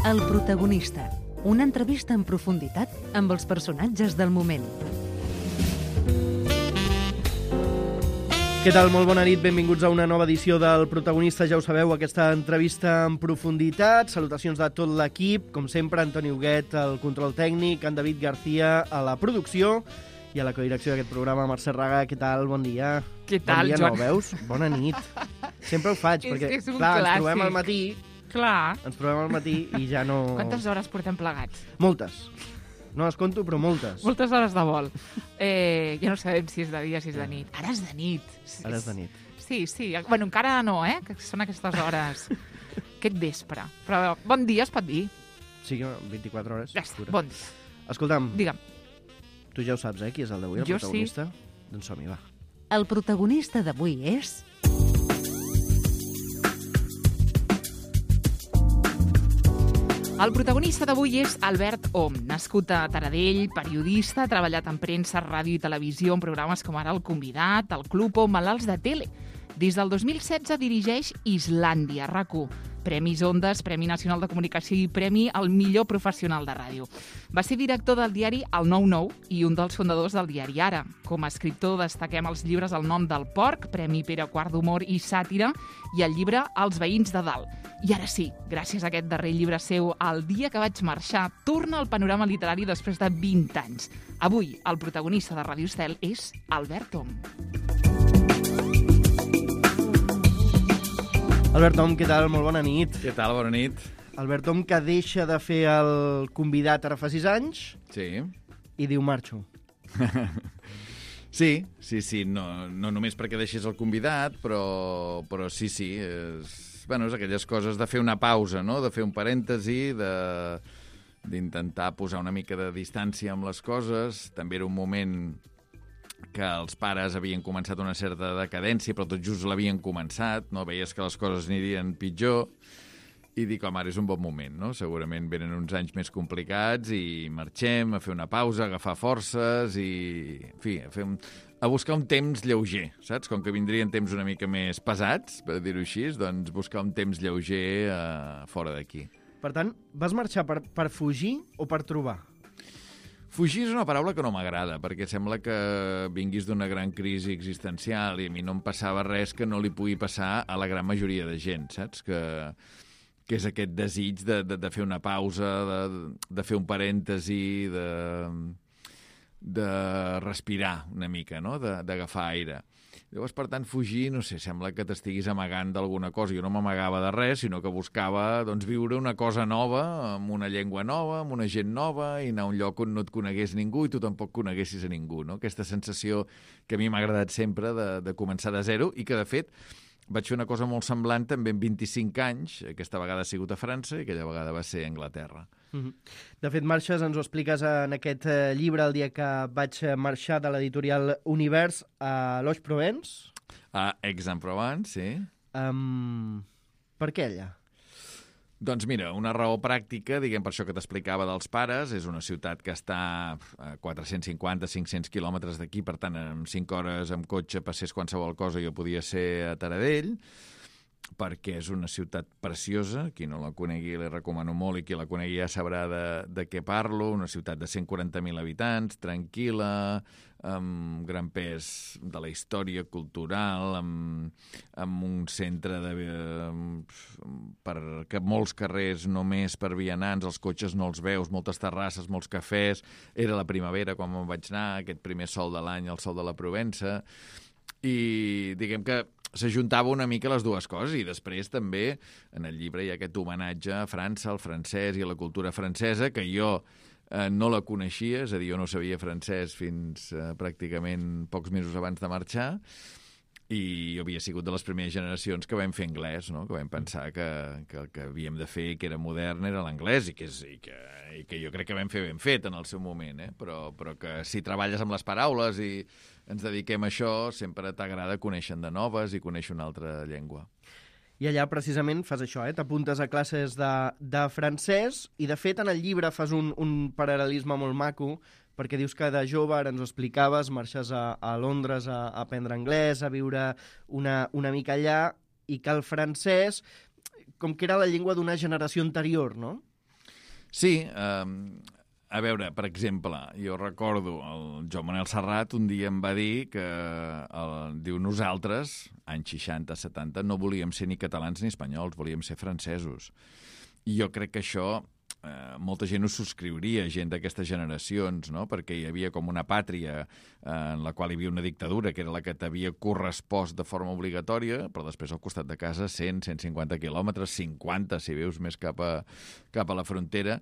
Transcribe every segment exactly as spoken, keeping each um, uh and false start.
El protagonista. Una entrevista en profunditat amb els personatges del moment. Què tal? Molt bona nit, benvinguts a una nova edició del Protagonista. Ja ho sabeu, aquesta entrevista en profunditat. Salutacions de tot l'equip, com sempre, Antoni Huguet, el control tècnic, en David García, a la producció, i a la codirecció d'aquest programa, Mercè Raga. Què tal? Bon dia. Què tal, bon dia, Joan? No, veus? Bona nit. Sempre ho faig, És perquè, que és un clar, ens clàssic. trobem al matí, Clar. ens trobem al matí i ja no... Quantes hores portem plegats? Moltes. No les conto, però moltes. Moltes hores de vol. Eh, ja no sabem si és de dia, si és de nit. Ara és de nit. Ara és de nit. Sí, sí. Bueno, encara no, eh? Que són aquestes hores. Aquest vespre. Però bon dia es pot dir. Sí, vint-i-quatre hores. Ja està, pura. bon dia. Escolta'm, Digue'm. tu ja ho saps, eh, qui és el d'avui, el Jo protagonista? Doncs som-hi, va. El protagonista d'avui és... El protagonista d'avui és Albert Om, nascut a Taradell, periodista, ha treballat en premsa, ràdio i televisió en programes com ara El Convidat, El Club o Malalts de Tele. Des del dos mil setze dirigeix Islàndia, RAC u, Premis Ondes, Premi Nacional de Comunicació i Premi al millor professional de ràdio. Va ser director del diari El nou nou i un dels fundadors del diari Ara. Com a escriptor destaquem els llibres El nom del porc, Premi Pere quart d'Humor i Sàtira, i el llibre Els veïns de dalt. I ara sí, gràcies a aquest darrer llibre seu, El dia que vaig marxar, torna al panorama literari després de vint anys. Avui, el protagonista de Ràdio Estel és Albert Om. Albert Om, què tal? Molt bona nit. Què tal? Bona nit. Albert Om, que deixa de fer el Convidat ara fa sis anys Sí. i diu marxo. Sí, sí, sí. No, no només perquè deixis el Convidat, però, però sí, sí. És, bueno, és aquelles coses de fer una pausa, no? De fer un parèntesi, de d'intentar posar una mica de distància amb les coses. També era un moment que els pares havien començat una certa decadència, però tot just l'havien començat, no? Veies que les coses anirien pitjor, i dic, home, ara és un bon moment, no? Segurament venen uns anys més complicats i marxem a fer una pausa, a agafar forces i, en fi, a, fer un, a buscar un temps lleuger, saps? Com que vindrien temps una mica més pesats, per dir-ho així, doncs buscar un temps lleuger uh, fora d'aquí. Per tant, vas marxar per, per fugir o per trobar? Fugir és una paraula que no m'agrada, perquè sembla que vinguis d'una gran crisi existencial i a mi no em passava res que no li pugui passar a la gran majoria de gent, saps? Que, que és aquest desig de, de, de fer una pausa, de, de fer un parèntesi, de, de respirar una mica, no? De, d'agafar aire. Llavors, per tant, fugir, no sé, sembla que t'estiguis amagant d'alguna cosa. Jo no m'amagava de res, sinó que buscava doncs, viure una cosa nova, amb una llengua nova, amb una gent nova, i anar a un lloc on no et conegués ningú i tu tampoc coneguessis a ningú, no? Aquesta sensació que a mi m'ha agradat sempre de, de començar de zero i que, de fet, vaig fer una cosa molt semblant també en vint-i-cinc anys. Aquesta vegada ha sigut a França i aquella vegada va ser a Anglaterra. De fet, marxes, ens ho expliques en aquest llibre, El dia que vaig marxar, de l'editorial Univers, a Loix-Provence. A Aix-en-Provence, sí. Um, per què allà? Doncs mira, una raó pràctica, diguem per això que t'explicava dels pares, és una ciutat que està a quatre-cents cinquanta a cinc-cents quilòmetres d'aquí, per tant, en cinc hores amb cotxe passés qualsevol cosa, jo podia ser a Taradell, perquè és una ciutat preciosa, qui no la conegui li recomano molt i qui la conegui ja sabrà de, de què parlo, una ciutat de cent quaranta mil habitants, tranquil·la, amb gran pes de la història cultural, amb, amb un centre de, per que molts carrers només per vianants, els cotxes no els veus, moltes terrasses, molts cafès, era la primavera quan me'n vaig anar, aquest primer sol de l'any, el sol de la Provença, i diguem que s'ajuntava una mica les dues coses i després també en el llibre hi ha aquest homenatge a França, al francès i a la cultura francesa que jo eh, no la coneixia, és a dir, jo no sabia francès fins eh, pràcticament pocs mesos abans de marxar i jo havia sigut de les primeres generacions que vam fer anglès, no? Que vam pensar que, que el que havíem de fer que era modern era l'anglès i que, és, i, que, i que jo crec que vam fer ben fet en el seu moment, eh? però, però que si treballes amb les paraules i ens dediquem a això, sempre t'agrada conèixer de noves i conèixer una altra llengua. I allà precisament fas això, eh? T'apuntes a classes de, de francès i de fet en el llibre fas un, un paral·lelisme molt maco perquè dius que de jove, ara ens ho explicaves, marxes a, a Londres a, a aprendre anglès, a viure una, una mica allà i que el francès com que era la llengua d'una generació anterior, no? Sí, eh, a veure, per exemple, jo recordo el Joan Manel Serrat un dia em va dir que, el, diu, nosaltres, anys seixanta setanta, no volíem ser ni catalans ni espanyols, volíem ser francesos. I jo crec que això eh, molta gent ho subscriuria, gent d'aquestes generacions, no? Perquè hi havia com una pàtria eh, en la qual hi havia una dictadura, que era la que t'havia correspost de forma obligatòria, però després al costat de casa cent, cent cinquanta quilòmetres, cinquanta, si veus més cap a, cap a la frontera,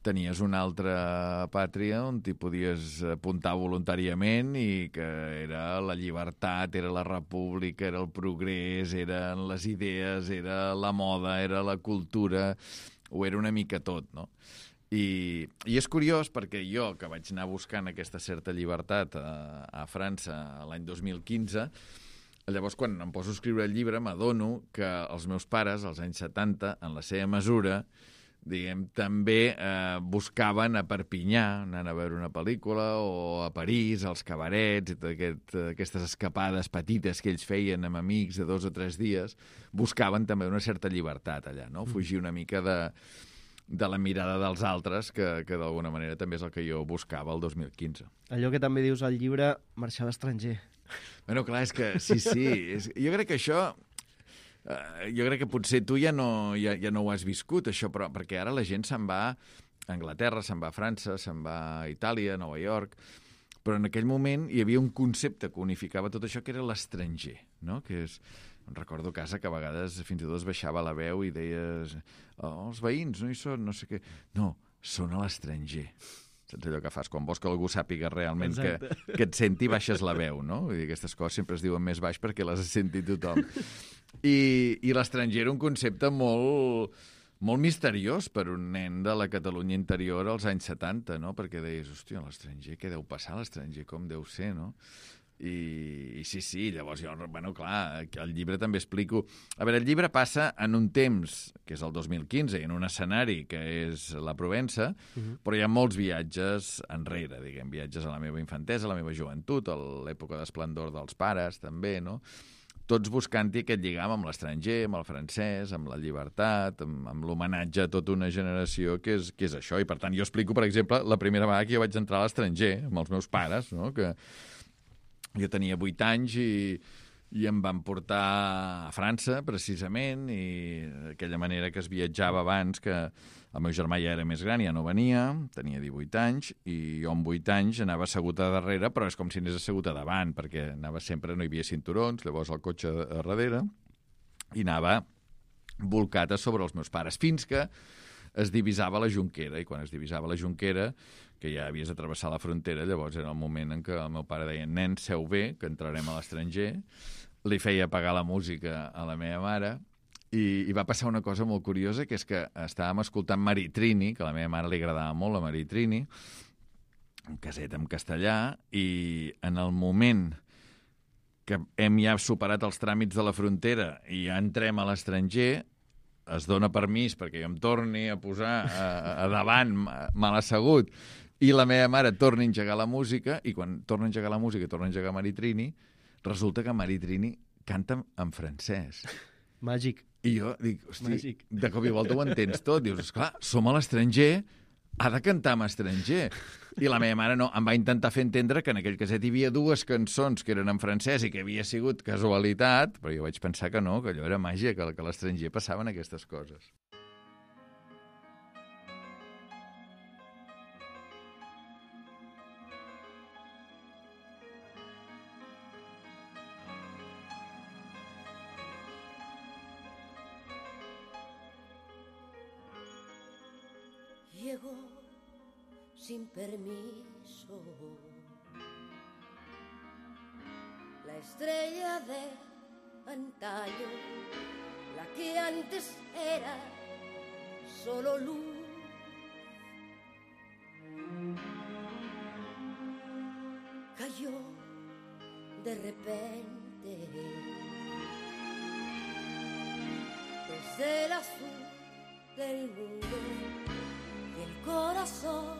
tenies una altra pàtria on t'hi podies apuntar voluntàriament i que era la llibertat, era la república, era el progrés, eren les idees, era la moda, era la cultura, ho era una mica tot, no? I, i és curiós perquè jo, que vaig anar buscant aquesta certa llibertat a, a França l'any dos mil quinze, llavors quan em poso a escriure el llibre m'adono que els meus pares, als anys setanta, en la seva mesura, diguem, també eh, buscaven a Perpinyà, anant a veure una pel·lícula, o a París, als cabarets, i aquest, aquestes escapades petites que ells feien amb amics de dos o tres dies, buscaven també una certa llibertat allà, no? Fugir una mica de, de la mirada dels altres, que, que d'alguna manera també és el que jo buscava el dos mil quinze. Allò que també dius al llibre, marxar a l'estranger. Bueno, clar, és que sí, sí. És, jo crec que això... Uh, jo crec que potser tu ja no, ja, ja no ho has viscut, això, però perquè ara la gent se'n va a Anglaterra, se'n va a França, se'n va a Itàlia, a Nova York, però en aquell moment hi havia un concepte que unificava tot això, que era l'estranger, no? Que és, em recordo a casa que a vegades fins i tot es baixava la veu i deies oh, els veïns no hi són, no sé què. No, són a l'estranger. Saps allò que fas? Quan vols que algú sàpiga realment que, que et senti, baixes la veu, no? Vull dir, aquestes coses sempre es diuen més baix perquè les senti tothom. I, i l'estranger era un concepte molt, molt misteriós per un nen de la Catalunya interior als anys setanta, no? Perquè deies, hòstia, l'estranger, què deu passar a l'estranger? Com deu ser, no? I, i sí, sí, llavors jo, bueno, clar, el llibre també explico... A veure, el llibre passa en un temps, que és el dos mil quinze, i en un escenari que és la Provença, uh-huh. però hi ha molts viatges enrere, diguem, viatges a la meva infantesa, a la meva joventut, a l'època d'esplendor dels pares, també, no? Tots buscant-hi aquest lligam amb l'estranger, amb el francès, amb la llibertat, amb, amb l'homenatge a tota una generació que és, que és això. I, per tant, jo explico, per exemple, la primera vegada que jo vaig entrar a l'estranger, amb els meus pares, no? Que jo tenia vuit anys i, i em van portar a França, precisament, i d'aquella manera que es viatjava abans, que el meu germà ja era més gran, ja no venia, tenia divuit anys, i jo amb vuit anys anava assegut a darrere, però és com si anés assegut a davant, perquè anava sempre, no hi havia cinturons, llavors el cotxe a darrere, i anava volcat a sobre els meus pares, fins que es divisava la Jonquera, i quan es divisava la Jonquera, que ja havies de travessar la frontera, llavors era el moment en què el meu pare deia, nen, seu bé, que entrarem a l'estranger, li feia apagar la música a la meva mare, i, i va passar una cosa molt curiosa, que és que estàvem escoltant Maritrini, que a la meva mare li agradava molt la Maritrini, un caset en castellà, i en el moment que hem ja superat els tràmits de la frontera i ja entrem a l'estranger, es dona permís perquè jo em torni a posar a, a davant, mal assegut, i la meva mare torna a engegar la música, i quan torna a engegar la música i torna a engegar Maritrini, resulta que Maritrini canta en francès. Màgic. I jo dic, hosti, Màgic. de cop i volta ho entens tot. Dius, esclar, som a l'estranger, ha de cantar en estranger. I la meva mare no, em va intentar fer entendre que en aquell caset hi havia dues cançons que eren en francès i que havia sigut casualitat, però jo vaig pensar que no, que allò era màgia, que, que a l'estranger passaven aquestes coses. Llegó sin permiso la estrella de antaño, la que antes era solo luz. Cayó de repente desde el azul del mundo. El corazón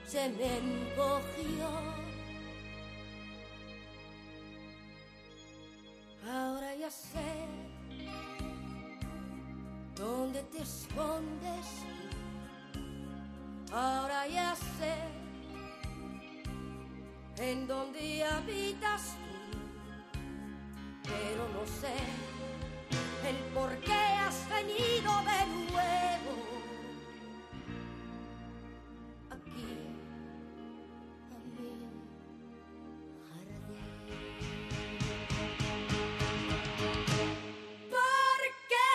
se me encogió. Ahora ya sé dónde te escondes tú, Ahora ya sé en dónde habitas tú, pero no sé el por qué has venido de nuevo aquí a mi jardín. Porque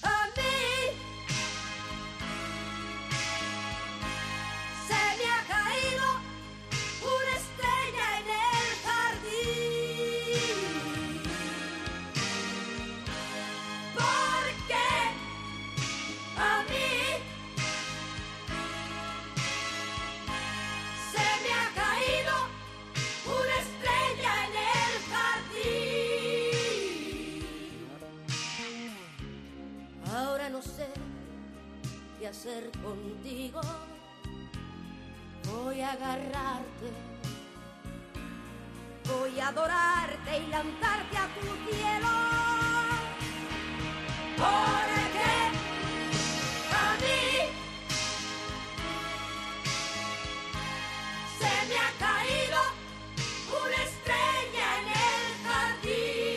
a mí se me ha caído una estrella en el jardín. Porque a mí se me ha caído una estrella en el jardín. Ahora no sé qué hacer contigo. Voy a agarrarte, voy a adorarte y lanzarte a tu cielo. Porque a mí se me ha caído una estrella en el jardín.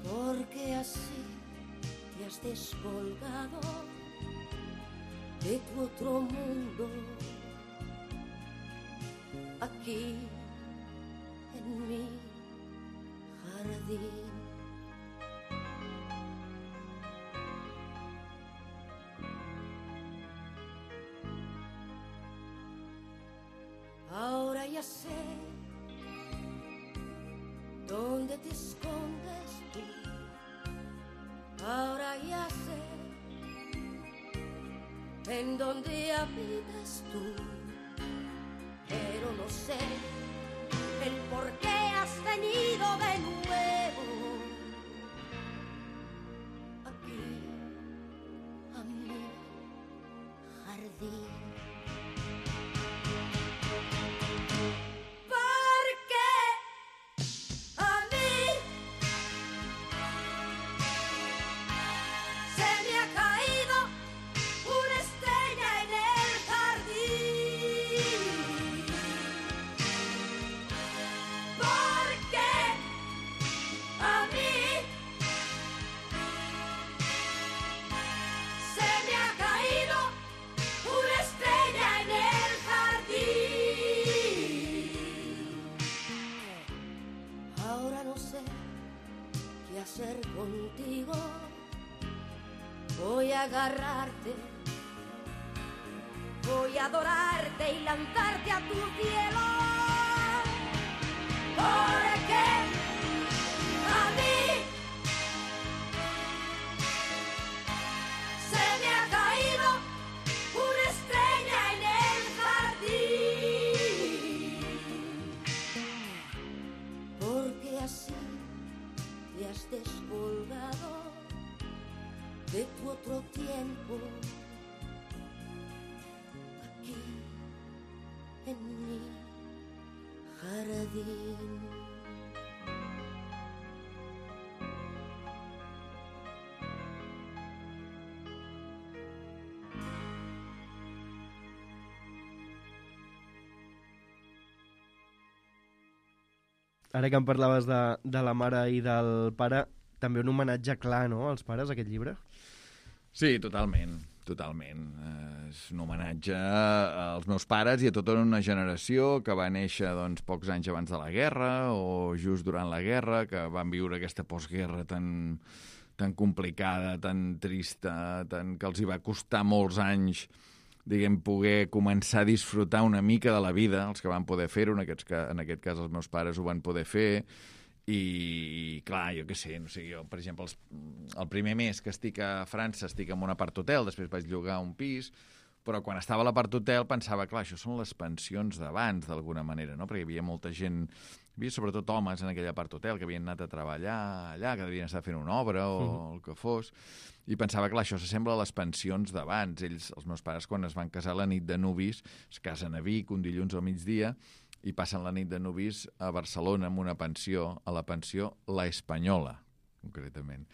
Porque así te has descolgado de tu otro mundo, aquí en mi jardín. Ahora ya sé dónde te escondes tú. Ahora ya sé en dónde habitas tú, pero no sé el por qué has venido de nuevo aquí a mi jardín. Porque a mí se me ha caído una estrella en el jardín. Porque a mí se me ha caído una estrella en el jardín. Ahora no sé qué hacer contigo. Voy a agarrarte, voy a adorarte y lanzarte a tu cielo. Porque a mí se me ha caído una estrella en el jardín. Porque así te has descolgado de tu otro tiempo, aquí en mi jardín. Ara que em parlaves de, de la mare i del pare, també un homenatge clar, no?, als pares, aquest llibre? Sí, totalment, totalment. Eh, és un homenatge als meus pares i a tota una generació que va néixer doncs, pocs anys abans de la guerra o just durant la guerra, que van viure aquesta postguerra tan, tan complicada, tan trista, tan, que els hi va costar molts anys, diguem, poder començar a disfrutar una mica de la vida, els que van poder fer-ho, en, aquests, en aquest cas els meus pares ho van poder fer, i clar, jo què sé, no sé, jo, per exemple, els, el primer mes que estic a França estic en un apart-hotel, després vaig llogar un pis, però quan estava a l'apart-hotel pensava, clar, això són les pensions d'abans, d'alguna manera, no?, perquè hi havia molta gent, hi havia sobretot homes en aquell apart-hotel que havien anat a treballar allà, que devien estar fent una obra o mm. el que fos, i pensava, clar, això s'assembla a les pensions d'abans. Ells, els meus pares, quan es van casar la nit de nuvis, es casen a Vic un dilluns al migdia i passen la nit de nuvis a Barcelona amb una pensió, a la pensió La Espanyola, concretament.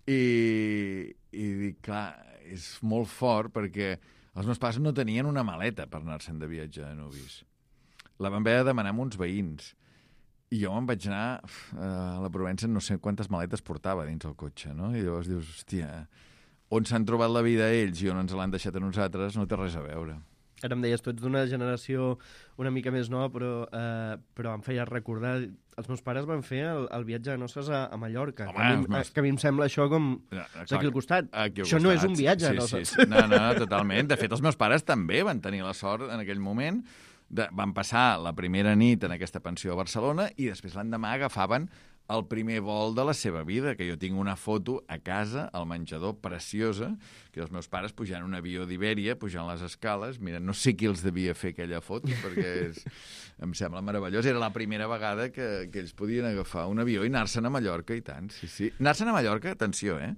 I, i dic, clar, és molt fort perquè els meus pares no tenien una maleta per anar-se'n de viatge a Nubis. La van haver de demanar amb uns veïns. I jo me'n vaig anar a la Provença, no sé quantes maletes portava dins el cotxe, no? I llavors dius, hòstia, on s'han trobat la vida ells i on ens l'han deixat a nosaltres no té res a veure. Ara em deies, tu ets d'una generació una mica més nova, però, eh, però em feia recordar... Els meus pares van fer el, el viatge de noces a, a Mallorca, Home, que, a mi, meus... que a mi em sembla això com... Ja, és aquí al costat. Aquí al això costat. no és un viatge sí, de noces. Sí, sí. No, no, totalment. De fet, els meus pares també van tenir la sort en aquell moment. De, van passar la primera nit en aquesta pensió a Barcelona i després l'endemà agafaven el primer vol de la seva vida, que jo tinc una foto a casa, al menjador, preciosa, que els meus pares pujant un avió d'Ibèria, pujant les escales. Mira, no sé qui els devia fer aquella foto, perquè és, em sembla meravellós. Era la primera vegada que, que ells podien agafar un avió i anar-se'n a Mallorca, i tant, sí, sí. Anar-se'n a Mallorca, atenció, eh?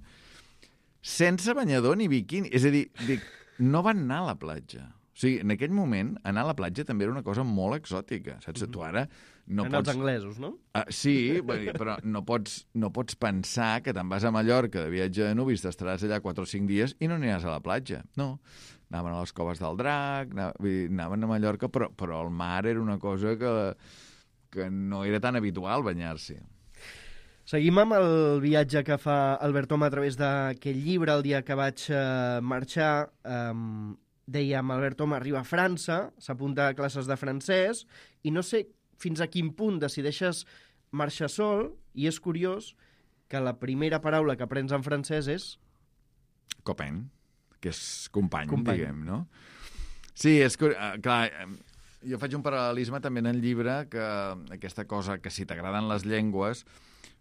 Sense banyador ni biquini. És a dir, dic, no van anar a la platja. O sigui, en aquell moment, anar a la platja també era una cosa molt exòtica, saps? Tu ara no en pots... els anglesos, no? Uh, sí, però no pots, no pots pensar que te'n vas a Mallorca de viatge de Nubis, t'estaràs allà quatre o cinc dies i no aniràs a la platja. No, anaven a les coves del Drac, anaven a Mallorca, però, però el mar era una cosa que, que no era tan habitual banyar-s'hi. Seguim amb el viatge que fa Albert Om a través d'aquell llibre. El dia que vaig uh, marxar, um, dèiem, Albert Om arriba a França, s'apunta a classes de francès, i no sé fins a quin punt decideixes marxar sol, i és curiós que la primera paraula que aprens en francès és... Copain, que és company, company. diguem, no? Sí, és que, clar, jo faig un paral·lelisme també en el llibre, que aquesta cosa que si t'agraden les llengües,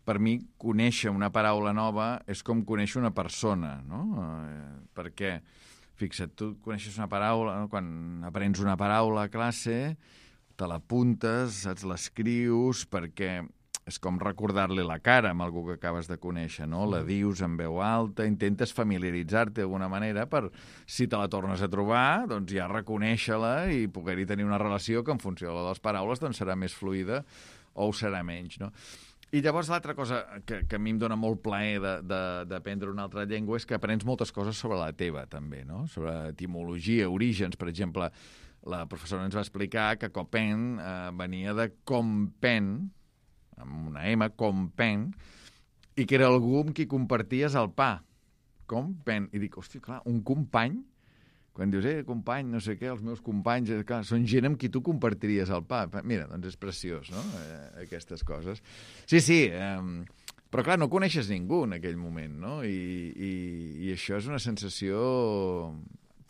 per mi conèixer una paraula nova és com conèixer una persona, no? Perquè, fixa't, tu coneixes una paraula, no? Quan aprens una paraula a classe, te l'apuntes, saps, l'escrius, perquè és com recordar-li la cara amb algú que acabes de conèixer, no? La dius en veu alta, intentes familiaritzar-te d'alguna manera per, si te la tornes a trobar, doncs ja reconèixer-la i poder-hi tenir una relació que en funció de les paraules doncs serà més fluida o ho serà menys, no? I llavors l'altra cosa que, que a mi em dona molt plaer d'aprendre una altra llengua és que aprens moltes coses sobre la teva, també, no? Sobre etimologia, orígens, per exemple. La professora ens va explicar que copain eh, venia de compen, amb una M, compen, i que era algú amb qui comparties el pa. Compen. I dic, hòstia, clar, un company, quan dius, eh, company, no sé què, els meus companys, eh, clar, són gent amb qui tu compartiries el pa. Mira, doncs és preciós, no?, eh, aquestes coses. Sí, sí, eh, però clar, no coneixes ningú en aquell moment, no? I, i, i això és una sensació...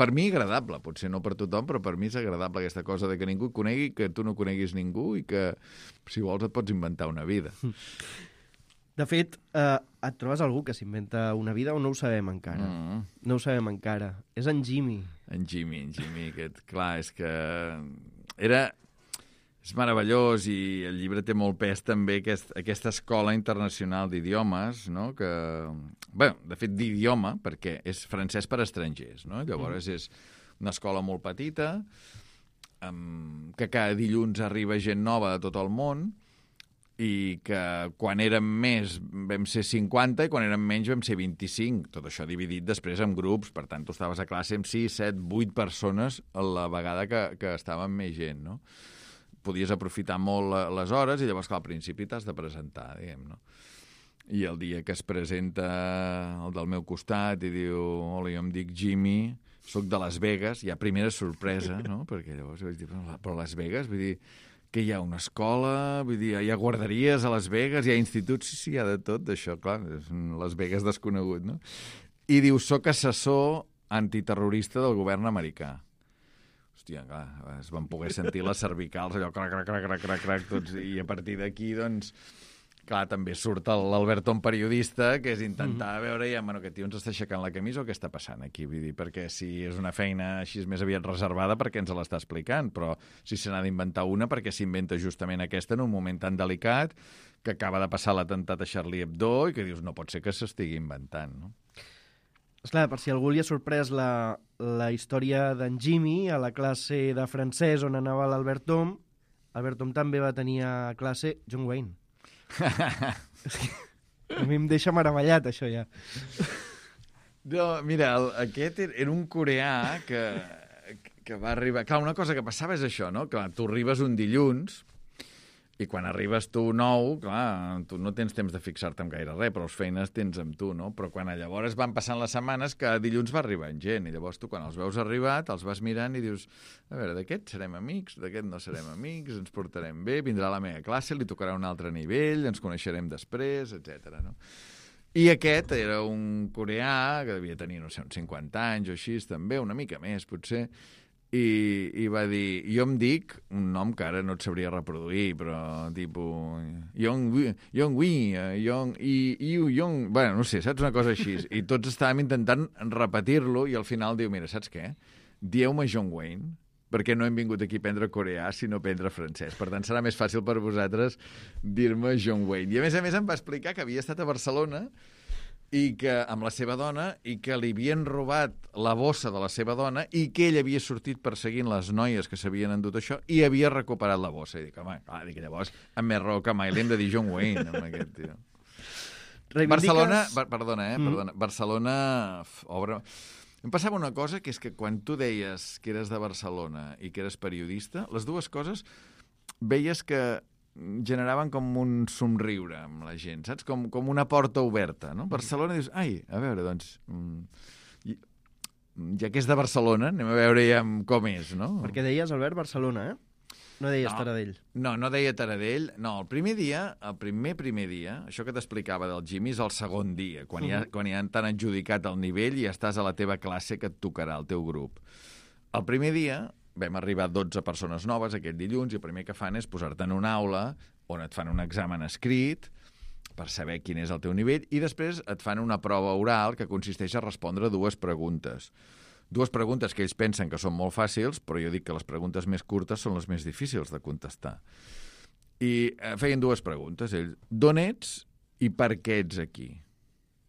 Per mi agradable, potser no per tothom, però per mi és agradable aquesta cosa de que ningú et conegui, que tu no coneguis ningú i que, si vols, et pots inventar una vida. De fet, eh, et trobes algú que s'inventa una vida o no ho sabem encara? Mm. No ho sabem encara. És en Jimmy. En Jimmy, en Jimmy, aquest, clar, és que era... És meravellós i el llibre té molt pes també aquest, aquesta escola internacional d'idiomes, no? Que, bé, de fet, d'idioma, perquè és francès per a estrangers, no? Llavors mm. és una escola molt petita, amb, que cada dilluns arriba gent nova de tot el món i que quan érem més vam ser cinquanta i quan érem menys vam ser vint-i-cinc. Tot això dividit després en grups, per tant, tu estaves a classe amb sis, set, vuit persones a la vegada que, que estàvem més gent, no? Podies aprofitar molt les hores i llavors, clar, al principi t'has de presentar, diguem, no? I el dia que es presenta el del meu costat i diu, hola, jo em dic Jimmy, soc de Las Vegas, hi ha primera sorpresa, no? Perquè llavors vaig dir, però Las Vegas, vull dir, que hi ha una escola, vull dir, hi ha guarderies a Las Vegas, hi ha instituts, sí, sí, hi ha de tot, d'això, clar, és un Las Vegas desconegut, no? I diu, soc assessor antiterrorista del govern americà. Hòstia, clar, es van poder sentir les cervicals, allò, crac, crac, crac, crac, crac, crac, tots, i a partir d'aquí, doncs, clar, també surt l'Albert Om periodista, que és intentar mm-hmm. veure, ja, bueno, aquest tio ens està aixecant la camisa o què està passant aquí? Vull dir, perquè si és una feina així més aviat reservada, perquè ens l'està explicant, però si se n'ha d'inventar una, perquè s'inventa justament aquesta en un moment tan delicat que acaba de passar l'atemptat a Charlie Hebdo i que dius, no pot ser que s'estigui inventant, no? Esclar, per si algú li ha sorprès la, la història d'en Jimmy a la classe de francès on anava l'Albert Om, Albert Om també va tenir a classe John Wayne. A mi em deixa meravellat, això, ja. No, mira, el, aquest era un coreà que, que va arribar... Clar, una cosa que passava és això, no? Clar, tu arribes un dilluns i quan arribes tu nou, clar, tu no tens temps de fixar-te en gaire res, però les feines tens amb tu, no? Però quan llavors van passant les setmanes, cada dilluns va arribant gent, i llavors tu quan els veus arribat, els vas mirant i dius, a veure, d'aquest serem amics, d'aquest no serem amics, ens portarem bé, vindrà a la meva classe, li tocarà un altre nivell, ens coneixerem després, etcètera, no? I aquest era un coreà que devia tenir, no sé, uns cinquanta anys o així, també, una mica més, potser, I, i va dir, jo em dic un nom que ara no et sabria reproduir, però tipus Yong Yong-wi, Yong i Iu Yong, bueno, no sé, saps, una cosa així, i tots estàvem intentant repetir-lo i al final diu, mira, saps què? Dieu-me John Wayne, perquè no hem vingut aquí a aprendre coreà, sinó a aprendre francès. Per tant, serà més fàcil per vosaltres dir-me John Wayne. I a més a més em va explicar que havia estat a Barcelona i que amb la seva dona, i que li havien robat la bossa de la seva dona i que ell havia sortit perseguint les noies que s'havien endut això i havia recuperat la bossa. I dic, home, clar, dic, llavors, amb més raó que mai li hem de dir John Wayne, amb aquest tio. Reivindiques... Barcelona, bar, perdona, eh, Mm. perdona, Barcelona f, obre... Em passava una cosa, que és que quan tu deies que eres de Barcelona i que eres periodista, les dues coses veies que generaven com un somriure amb la gent, saps? Com, com una porta oberta, no? Barcelona dius, ai, a veure, doncs, mm, ja que és de Barcelona, anem a veure ja com és, no? Perquè deies, Albert, Barcelona, eh? No deies No. Taradell. No, no deia Taradell. No, el primer dia, el primer primer dia, això que t'explicava del Jimmy és el segon dia, quan, ja, quan ja t'han adjudicat el nivell i ja estàs a la teva classe que et tocarà, el teu grup. El primer dia vam arribar dotze persones noves aquest dilluns i el primer que fan és posar-te en una aula on et fan un examen escrit per saber quin és el teu nivell i després et fan una prova oral que consisteix a respondre dues preguntes. Dues preguntes que ells pensen que són molt fàcils, però jo dic que les preguntes més curtes són les més difícils de contestar. I feien dues preguntes, ells. D'on ets i per què ets aquí?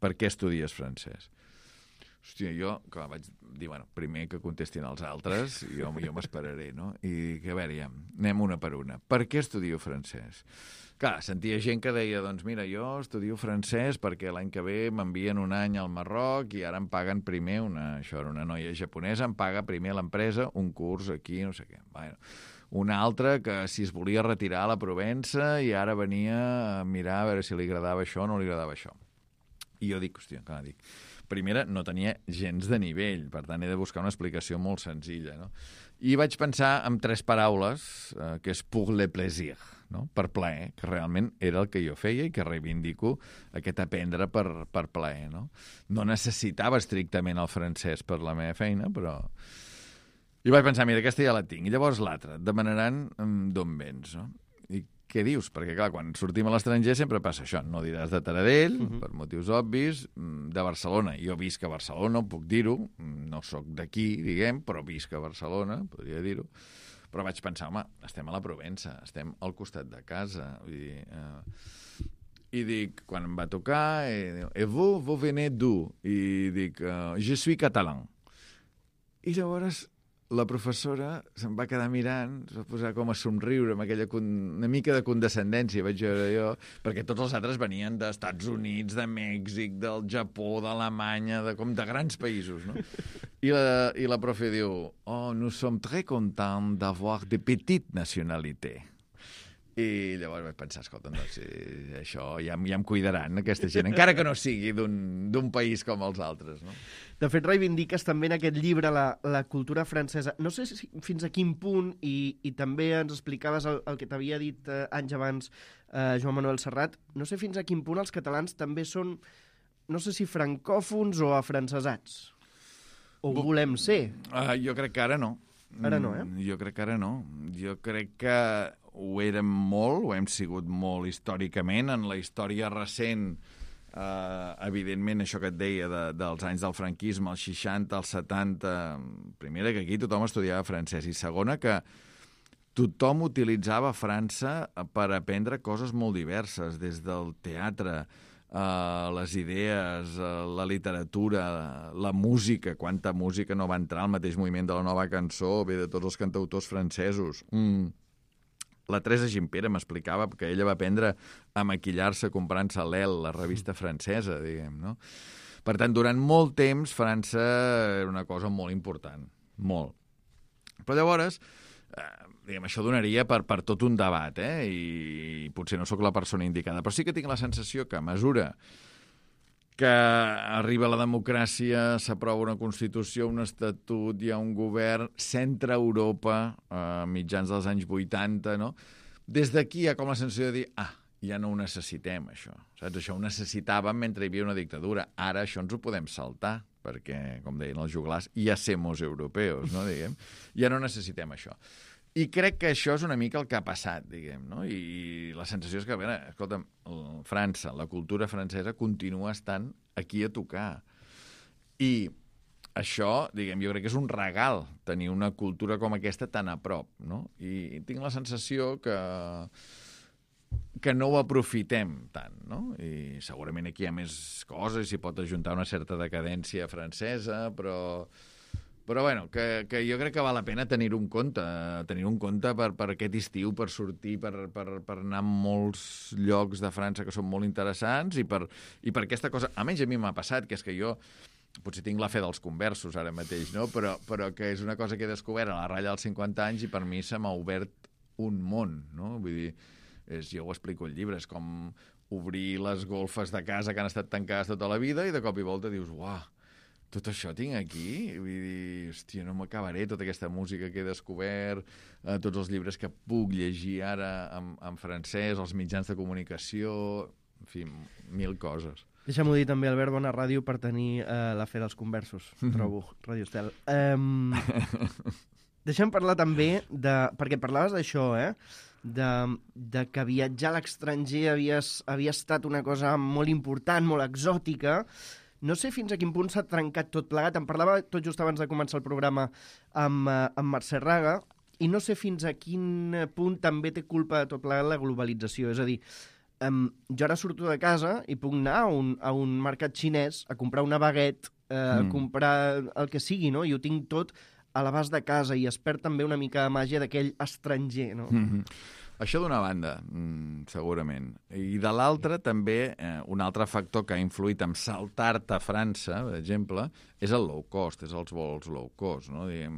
Per què estudies francès? Hòstia, jo, clar, vaig dir, bueno, primer que contestin els altres, jo, jo m'esperaré, no? I dic, a veure, ja, anem una per una. Per què estudio francès? Clar, sentia gent que deia, doncs mira, jo estudio francès perquè l'any que ve m'envien un any al Marroc i ara em paguen primer, una, això era una noia japonesa, em paga primer l'empresa un curs aquí, no sé què. Bueno, una altra que si es volia retirar a la Provença i ara venia a mirar a veure si li agradava això o no li agradava això. I jo dic, hòstia, clar, dic, primera, no tenia gens de nivell, per tant, he de buscar una explicació molt senzilla, no? I vaig pensar en tres paraules, eh, que és pour le plaisir, no? Per plaer, que realment era el que jo feia i que reivindico aquest aprendre per, per plaer, no? No necessitava estrictament el francès per la meva feina, però... I vaig pensar, mira, aquesta ja la tinc. I llavors l'altra, et demanaran d'on vens, no? I què dius? Perquè, clar, quan sortim a l'estranger sempre passa això. No diràs de Taradell, uh-huh. per motius obvis, de Barcelona. Jo visc a Barcelona, puc dir-ho. No sóc d'aquí, diguem, però visc a Barcelona, podria dir-ho. Però vaig pensar, home, estem a la Provença, estem al costat de casa. Vull dir, eh... I dic, quan em va tocar, eh, et vous, vous venez d'où? I dic, uh, je suis catalan. I llavors... la professora se'm va quedar mirant, es va posar com a somriure amb aquella con... una mica de condescendència, vaig veure jo, perquè tots els altres venien dels Estats Units, de Mèxic, del Japó, d'Alemanya, de, com de grans països, no? I la, i la profe diu, oh, nous sommes très contents d'avoir de petites nationalités. I llavors vaig pensar, escolta, doncs, eh, això ja, ja em cuidaran, aquesta gent, encara que no sigui d'un país com els altres, no? De fet, reivindiques també en aquest llibre la, la cultura francesa. No sé si, fins a quin punt, i, i també ens explicaves el, el que t'havia dit eh, anys abans eh, Joan Manuel Serrat, no sé fins a quin punt els catalans també són, no sé si francòfons o afrancesats. O ho volem ser. Uh, jo crec que ara no. Ara no, eh? Jo crec que ara no. Jo crec que ho érem molt, ho hem sigut molt històricament, en la història recent, eh, evidentment, això que et deia de, dels anys del franquisme, els seixanta, els setanta, primera, que aquí tothom estudiava francès, i segona, que tothom utilitzava França per aprendre coses molt diverses, des del teatre, Uh, les idees, uh, la literatura, la música, quanta música no va entrar al mateix moviment de la nova cançó, ve de tots els cantautors francesos. Mm. la Teresa Gimpera m'explicava que ella va aprendre a maquillar-se comprant-se l'El, la revista francesa, diguem, no? Per tant, durant molt temps, França era una cosa molt important, molt. Però llavors, eh, diguem, això donaria per, per tot un debat, eh? I potser no sóc la persona indicada, però sí que tinc la sensació que a mesura que arriba la democràcia, s'aprova una Constitució, un Estatut, hi ha un govern, centre Europa, a mitjans dels anys vuitanta, no? Des d'aquí hi ha com la sensació de dir, ah, ja no ho necessitem, això. Saps? Això ho necessitàvem mentre hi havia una dictadura. Ara això ens ho podem saltar, perquè, com deien els joglars, ja semos europeos, no, diguem? Ja no necessitem això. I crec que això és una mica el que ha passat, diguem, no? I la sensació és que, a veure, escolta'm, França, la cultura francesa continua estant aquí a tocar. I això, diguem, jo crec que és un regal tenir una cultura com aquesta tan a prop, no? I tinc la sensació que que no ho aprofitem tant, no? I segurament aquí hi ha més coses, s'hi pot ajuntar una certa decadència francesa, però... Però, bueno, que, que jo crec que val la pena tenir-ho en compte, tenir-ho en compte per, per aquest estiu, per sortir, per, per, per anar a molts llocs de França que són molt interessants i per, i per aquesta cosa... Almenys a mi m'ha passat, que és que jo potser tinc la fe dels conversos ara mateix, no? Però, però que és una cosa que he descobert a la ratlla dels cinquanta anys i per mi se m'ha obert un món, no? Vull dir, és, jo ho explico al llibre, és com obrir les golfes de casa que han estat tancades tota la vida i de cop i volta dius, uah, tot això tinc aquí? Vull dir, hòstia, no m'acabaré tota aquesta música que he descobert, eh, tots els llibres que puc llegir ara en, en francès, els mitjans de comunicació, en fi, mil coses. Deixa'm-ho dir també, Albert, bona ràdio per tenir eh, la fe dels conversos, trobo, Ràdio Estel. Um, deixa'm parlar també de... Perquè parlaves d'això, eh? De, de que viatjar a l'estranger havia, havia estat una cosa molt important, molt exòtica. No sé fins a quin punt s'ha trencat tot plegat. Em parlava tot just abans de començar el programa amb, amb Mercè Raga i no sé fins a quin punt també té culpa de tot plegat la globalització. És a dir, um, jo ara surto de casa i puc anar a un, a un mercat xinès a comprar una baguette, eh, mm. a comprar el que sigui, no? I ho tinc tot a l'abast de casa i es perd també una mica de màgia d'aquell estranger, no? Mm-hmm. Això d'una banda, segurament. I de l'altra, també, eh, un altre factor que ha influït en saltar-te a França, per exemple, és el low cost, és els vols low cost, no? Diguem,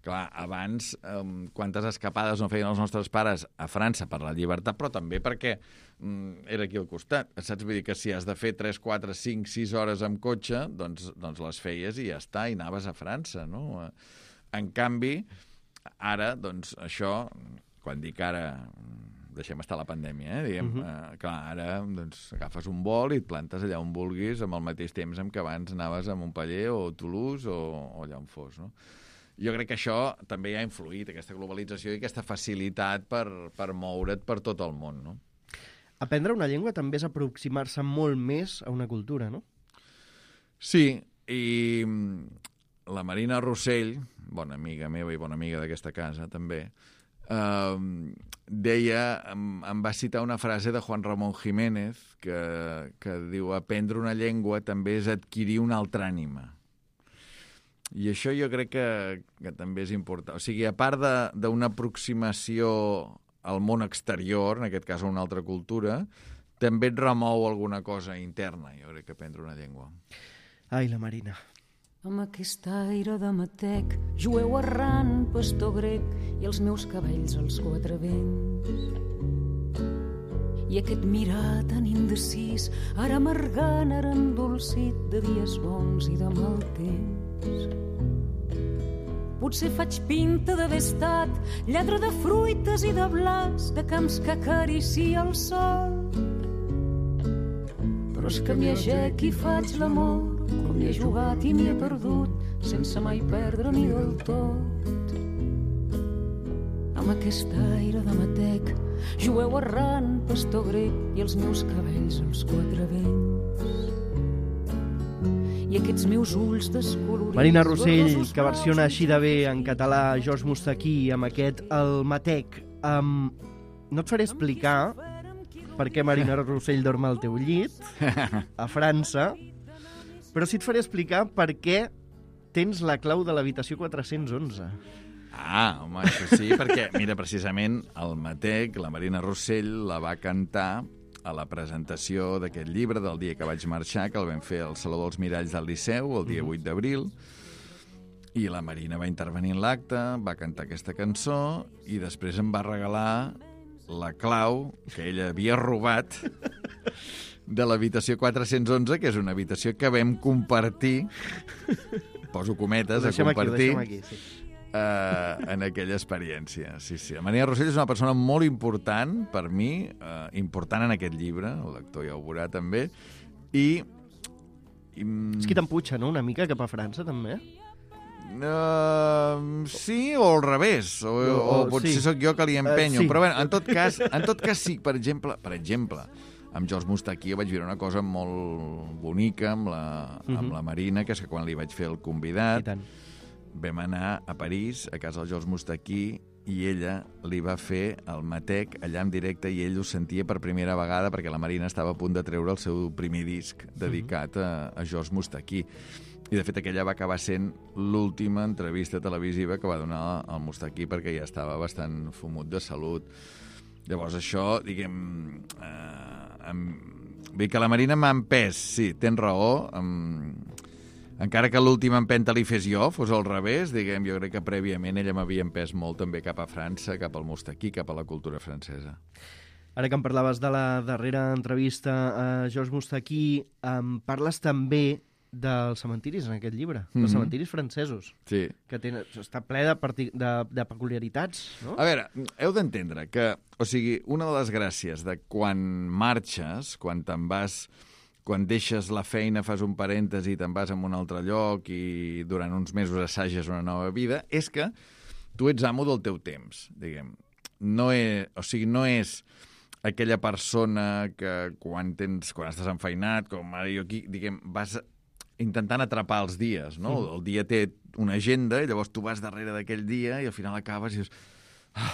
clar, abans, eh, quantes escapades no feien els nostres pares a França per la llibertat, però també perquè mm, era aquí al costat. Saps? Vull dir que si has de fer tres, quatre, cinc, sis hores amb cotxe, doncs, doncs les feies i ja està, i anaves a França, no? En canvi, ara, doncs, això... Quan dic ara, deixem estar la pandèmia, eh? Diguem, uh-huh. eh, clar, ara doncs, agafes un vol i et plantes allà on vulguis amb el mateix temps en què abans anaves a Montpeller o Toulouse o, o allà on fos, no? Jo crec que això també ha influït, aquesta globalització i aquesta facilitat per, per moure't per tot el món, no? Aprendre una llengua també és aproximar-se molt més a una cultura, no? Sí, i la Marina Rossell, bona amiga meva i bona amiga d'aquesta casa, també, Uh, deia, em, em va citar una frase de Juan Ramón Jiménez que, que diu, aprendre una llengua també és adquirir una altra ànima. I això jo crec que, que també és important. O sigui, a part d'una aproximació al món exterior, en aquest cas a una altra cultura, també et remou alguna cosa interna, jo crec que aprendre una llengua. Ai, la Marina. Amb aquest aire de matec, jueu errant, pastor grec, i els meus cabells als quatre vents. I aquest mirar tan indecis, ara amargant, ara endolcit, de dies bons i de mal temps. Potser faig pinta d'haver estat lladre de fruites i de blas, de camps que acaricia el sol. Però és que m'hi agec i faig l'amor, com m'hi he jugat i m'hi he perdut, sense mai perdre ni del tot. Amb aquest aire de matec, jueu errant, pastor grec, i els meus cabells als quatre vents. I aquests meus ulls descolorits... Marina Rossell, que versiona així de bé en català George Moustaki amb aquest El Matec. Um, no et faré explicar per què Marina Rossell dorm al teu llit, a França, però sí et faré explicar per què tens la clau de l'habitació quatre-cents onze. Ah, home, això sí, perquè, mira, precisament el Matec, la Marina Rossell, la va cantar a la presentació d'aquest llibre del dia que vaig marxar, que el vam fer al Saló dels Miralls del Liceu, el dia vuit d'abril, i la Marina va intervenir en l'acte, va cantar aquesta cançó i després em va regalar la clau que ella havia robat de l'habitació quatre-cents onze, que és una habitació que vam compartir, poso cometes, a compartir, aquí, aquí, sí. uh, en aquella experiència. Sí, sí. La Marina Rossell és una persona molt important per mi, uh, important en aquest llibre, el lector ja ho veurà també, i... i és qui t'empuja, no?, una mica cap a França, també. Uh, sí, o al revés, o, o, o potser sí. Sóc jo que li empenyo, uh, sí. Però bueno, en tot cas, en tot cas sí, per exemple, per exemple, amb George Moustaki vaig viure una cosa molt bonica amb la, uh-huh. amb la Marina, que és que quan li vaig fer el convidat, vam anar a París, a casa del George Moustaki, i ella li va fer el Matec allà en directe i ell ho sentia per primera vegada perquè la Marina estava a punt de treure el seu primer disc dedicat a, a George Moustaki. I, de fet, aquella va acabar sent l'última entrevista televisiva que va donar al Moustaki perquè ja estava bastant fumut de salut. Llavors, això, diguem... Eh, amb... Vull dir que la Marina m'ha empès, sí, tens raó. Amb... Encara que l'última empenta li fes jo, fos al revés, diguem, jo crec que prèviament ella m'havia empès molt també cap a França, cap al Moustaki, cap a la cultura francesa. Ara que em parlaves de la darrera entrevista a George Moustaki, em parles també dels cementiris en aquest llibre, mm-hmm. dels cementiris francesos, sí. Que tenen, està ple de, de, de peculiaritats, no? A veure, heu d'entendre que, o sigui, una de les gràcies de quan marxes, quan te'n vas, quan deixes la feina, fas un parèntesi i te'n vas a un altre lloc i durant uns mesos assages una nova vida, és que tu ets amo del teu temps, diguem. No és, o sigui, no és aquella persona que quan tens, quan estàs enfeinat, com ara jo aquí, diguem, vas intentant atrapar els dies, no? Mm. El dia té una agenda i llavors tu vas darrere d'aquell dia i al final acabes i dius, ah,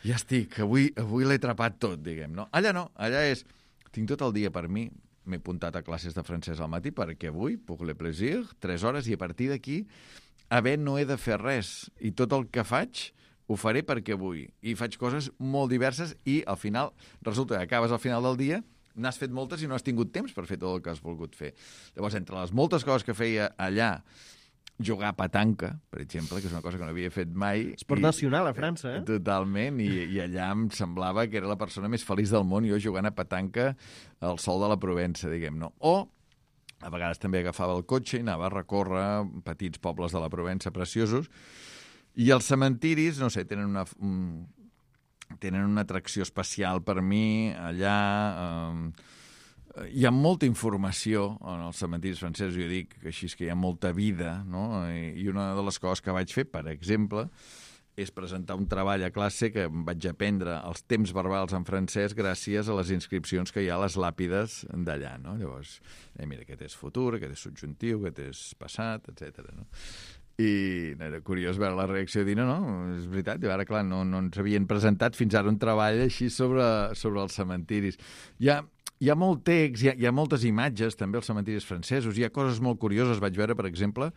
ja estic, avui, avui l'he atrapat tot, diguem, no? Allà no, allà és, tinc tot el dia per mi, m'he apuntat a classes de francès al matí perquè avui, puc le plaisir, tres hores, i a partir d'aquí, a bé, no he de fer res. I tot el que faig ho faré perquè vull. I faig coses molt diverses i al final, resulta que acabes al final del dia, n'has fet moltes i no has tingut temps per fer tot el que has volgut fer. Llavors, entre les moltes coses que feia allà, jugar a petanca, per exemple, que és una cosa que no havia fet mai. Esport i, nacional a França, eh? Totalment, i, i allà em semblava que era la persona més feliç del món, jo jugant a petanca al sol de la Provença, diguem, no? O, a vegades també agafava el cotxe i anava a recórrer petits pobles de la Provença preciosos, i els cementiris, no sé, tenen una... Un, tenen una atracció especial per mi allà. Eh, hi ha molta informació en els cementiris francesos, jo dic que així és que hi ha molta vida, no? I, i una de les coses que vaig fer, per exemple, és presentar un treball a classe que em vaig aprendre els temps verbals en francès gràcies a les inscripcions que hi ha a les làpides d'allà, no? Llavors, eh, mira, aquest és futur, aquest és subjuntiu, aquest és passat, etcètera, no? I era curiós veure la reacció de dir, no, no, és veritat, i ara, clar, no, no ens havien presentat fins ara un treball així sobre, sobre els cementiris. Hi ha, hi ha molt text, hi ha, hi ha moltes imatges, també, als cementiris francesos. Hi ha coses molt curioses. Vaig veure, per exemple,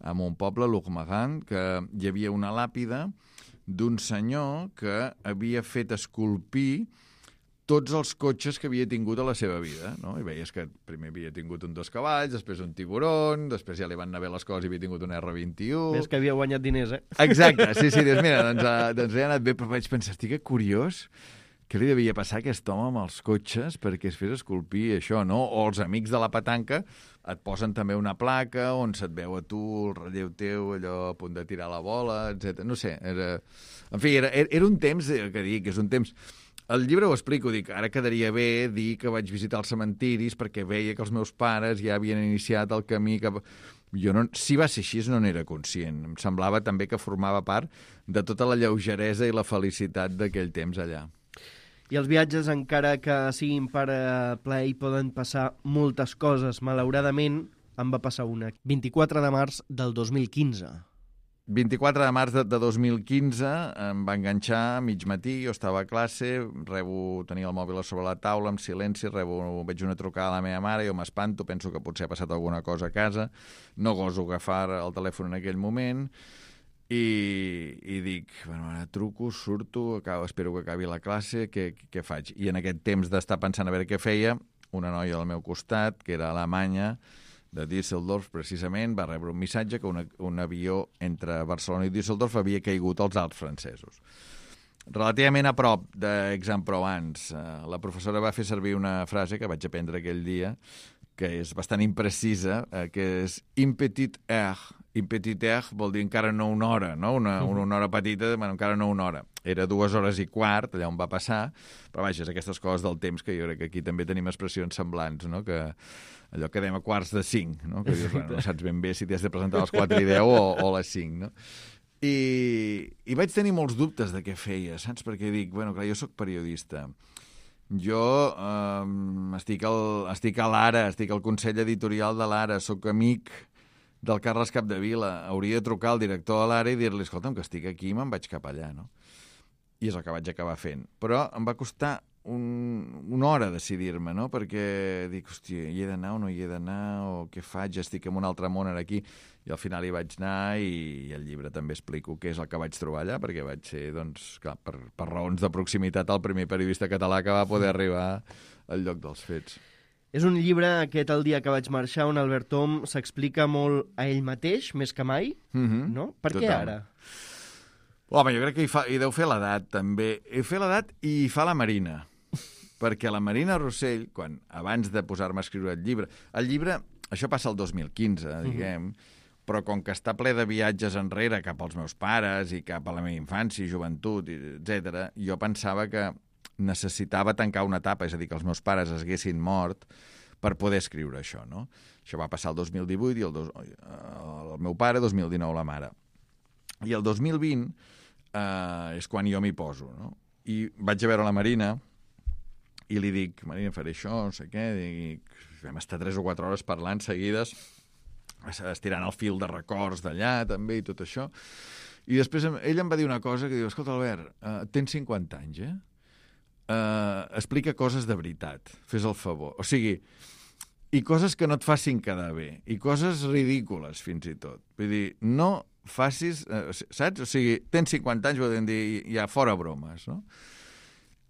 en un poble, Lourmarin, que hi havia una làpida d'un senyor que havia fet esculpir tots els cotxes que havia tingut a la seva vida, no? I veies que primer havia tingut un dos cavalls, després un tiburon, després ja li van anar bé les coses i havia tingut un erre vint-i-u... Ves que havia guanyat diners, eh? Exacte, sí, sí, dius, mira, doncs, uh, doncs li ha anat bé, però vaig pensar, estic curiós, què li devia passar a aquest home amb els cotxes perquè es fes esculpir això, no? O els amics de la petanca et posen també una placa on se't veu a tu, el relleu teu, allò a punt de tirar la bola, etcètera. No sé, era... En fi, era, era un temps, que dic, és un temps... El llibre ho explico, dic, ara quedaria bé dir que vaig visitar els cementiris perquè veia que els meus pares ja havien iniciat el camí cap... Jo no, si va ser així, no n'era conscient. Em semblava també que formava part de tota la lleugeresa i la felicitat d'aquell temps allà. I els viatges, encara que siguin per plaer, poden passar moltes coses. Malauradament, em va passar una. vint-i-quatre de març del dos mil quinze. vint-i-quatre de març de, de dos mil quinze em va enganxar a mig matí, jo estava a classe, rebo, tenia el mòbil a sobre la taula, en silenci, rebo, veig una trucada a la meva mare, jo m'espanto, penso que potser ha passat alguna cosa a casa, no goso agafar el telèfon en aquell moment, I, i dic, bueno, ara truco, surto, acabo, espero que acabi la classe, què, què faig? I en aquest temps d'estar pensant a veure què feia, una noia al meu costat, que era alemanya, de Düsseldorf, precisament, va rebre un missatge que una, un avió entre Barcelona i Düsseldorf havia caigut als Alps francesos. Relativament a prop d'Aix-en-Provence, la professora va fer servir una frase que vaig aprendre aquell dia, que és bastant imprecisa, que és «in petite heure». «In petite heure» vol dir encara no una hora, no? Una, una hora petita, bueno, encara no una hora. Era dues hores i quart, allà on va passar, però vaja, és aquestes coses del temps que jo crec que aquí també tenim expressions semblants, no? Que allò que dèiem a quarts de cinc, no? Que dius, bueno, no saps ben bé si t'has de presentar a les quatre i deu o, o a les cinc, no? I, I vaig tenir molts dubtes de què feia, saps? Perquè dic, bueno, clar, jo sóc periodista. Jo eh, estic, al, estic a l'Ara, estic al Consell Editorial de l'Ara, sóc amic del Carles Capdevila. Hauria de trucar al director de l'Ara i dir-li, escolta'm, que estic aquí i me'n vaig cap allà, no? I és el que vaig acabar fent. Però em va costar un, una hora decidir-me, no? Perquè dic, hòstia, hi he d'anar o no hi he d'anar, o què faig? Estic en un altre món ara aquí. I al final hi vaig anar i, i al llibre també explico què és el que vaig trobar allà, perquè vaig ser, doncs, clar, per, per raons de proximitat, el primer periodista català que va poder arribar al lloc dels fets. És un llibre, aquest El dia que vaig marxar, on Albert Om s'explica molt a ell mateix, més que mai, Mm-hmm. no? Per què Total. ara? Home, jo crec que hi, fa, hi deu fer l'edat, també. Hi fa l'edat i hi fa la Marina. Perquè la Marina Rossell, quan, abans de posar-me a escriure el llibre... El llibre, això passa el dos mil quinze, diguem, mm-hmm. però com que està ple de viatges enrere cap als meus pares i cap a la meva infància i joventut, etcètera, jo pensava que necessitava tancar una etapa, és a dir, que els meus pares es haguessin mort per poder escriure això, no? Això va passar el dos mil divuit i el, dos, el meu pare, dos mil dinou la mare. I el dos mil vint eh, és quan jo m'hi poso, no? I vaig a veure la Marina i li dic, Marina, faré això, no sé què, dic, vam estar tres o quatre hores parlant seguides, estirant el fil de records d'allà, també, i tot això. I després ell em va dir una cosa que diu, escolta, Albert, uh, tens cinquanta anys, eh? Uh, explica coses de veritat, fes el favor. O sigui, i coses que no et facin quedar bé, i coses ridícules, fins i tot. Vull dir, no facis... Uh, saps? O sigui, tens cinquanta anys, volen dir, ja fora bromes, no?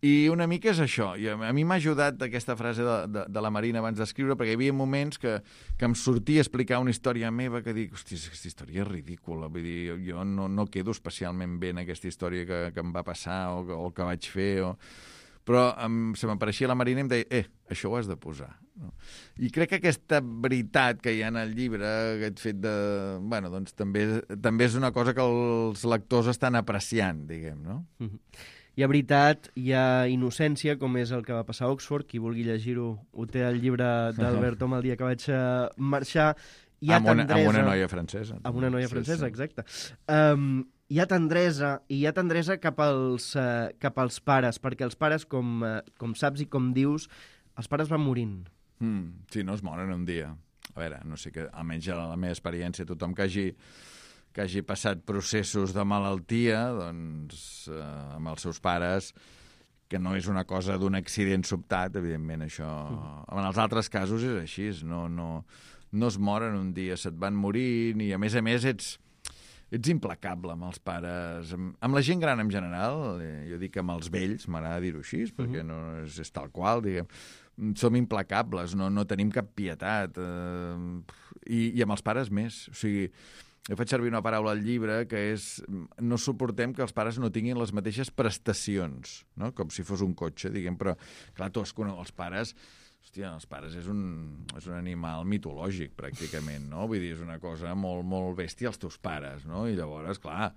I una mica és això. I a mi m'ha ajudat aquesta frase de, de, de la Marina abans d'escriure, perquè hi havia moments que, que em sortia a explicar una història meva que dic, hosti, aquesta història és ridícula. Vull dir, jo no, no quedo especialment bé en aquesta història que, que em va passar o, o que vaig fer. O... Però em, se m'apareixia la Marina i em deia, eh, això ho has de posar. No? I crec que aquesta veritat que hi ha en el llibre, aquest fet de... Bueno, doncs també, també és una cosa que els lectors estan apreciant, diguem, no? Mm-hmm. Hi ha veritat, hi ha innocència, com és el que va passar a Oxford. Qui vulgui llegir-ho ho té al llibre d'Albert Om, El dia que vaig marxar. Hi ha amb, una, tendresa, amb una noia francesa. Amb una noia francesa, sí, sí. exacte. Um, hi ha tendresa, i hi ha tendresa cap als, uh, cap als pares, perquè els pares, com, uh, com saps i com dius, els pares van morint. Mm, sí, no es moren un dia. A veure, no sé, que almenys a la meva experiència, tothom que hagi... que hagi passat processos de malaltia, doncs, eh, amb els seus pares, que no és una cosa d'un accident sobtat, evidentment, això... Mm. En els altres casos és així, no, no, no es moren un dia, se't van morint, i a més a més ets, ets implacable amb els pares. Amb, amb la gent gran en general, eh, jo dic amb els vells, m'agrada dir-ho així, perquè mm. no és, és tal qual, diguem, som implacables, no, no tenim cap pietat, eh, i, i amb els pares més, o sigui... Jo faig servir una paraula al llibre que és no suportem que els pares no tinguin les mateixes prestacions, no? Com si fos un cotxe, diguem, però clar, tu has conegut els pares, hòstia, els pares és un, és un animal mitològic, pràcticament, no? Vull dir, és una cosa molt, molt bèstia, els teus pares, no? I llavors, clar,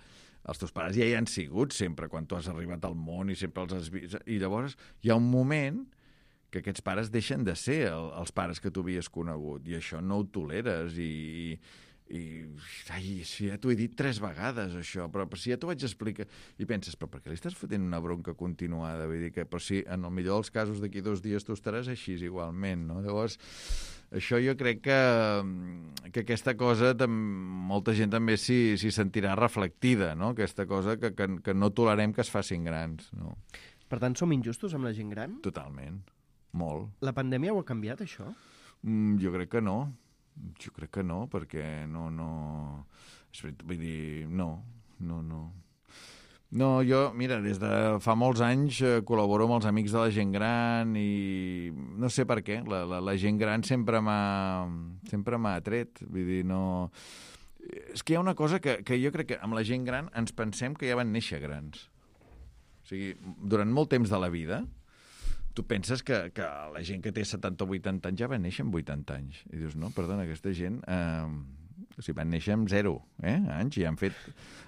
els teus pares ja hi han sigut sempre, quan tu has arribat al món i sempre els has vist, i llavors hi ha un moment que aquests pares deixen de ser el, els pares que tu havies conegut, i això no ho toleres, i... i ai, si ja t'ho he dit tres vegades això, però, però si ja t'ho vaig explicar i penses, però per què li estàs fotent una bronca continuada? Vull dir que, però si en el millor dels casos d'aquí dos dies tu estaràs així igualment, no? Llavors, això jo crec que, que aquesta cosa molta gent també s'hi sentirà reflectida, no? Aquesta cosa que, que, que no tolerem que es facin grans, no? Per tant, som injustos amb la gent gran? Totalment, molt. La pandèmia ho ha canviat, això? Mm, jo crec que no. Jo crec que no, perquè no, no... Vull dir, no. no, no. No, jo, mira, des de fa molts anys eh, col·laboro amb els amics de la gent gran i no sé per què, la, la, la gent gran sempre m'ha sempre m'ha atret, vull dir, no... És que hi ha una cosa que, que jo crec que amb la gent gran ens pensem que ja van néixer grans. O sigui, durant molt temps de la vida, tu penses que, que la gent que té setanta o vuitanta anys ja va néixer amb vuitanta anys. I dius, no, perdona, aquesta gent... Eh, o sigui, van néixer amb zero eh, anys i han fet,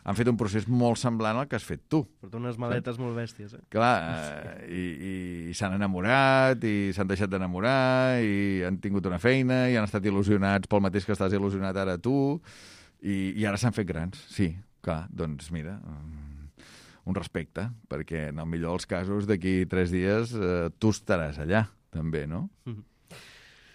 han fet un procés molt semblant al que has fet tu. Porta unes maletes molt bèsties, eh? Clar, eh, i, i, i s'han enamorat, i s'han deixat d'enamorar, i han tingut una feina, i han estat il·lusionats pel mateix que estàs il·lusionat ara tu, i, i ara s'han fet grans. Sí, clar, doncs mira, un respecte, perquè en el millor dels casos d'aquí tres dies eh, tu estaràs allà, també, no? Mm-hmm.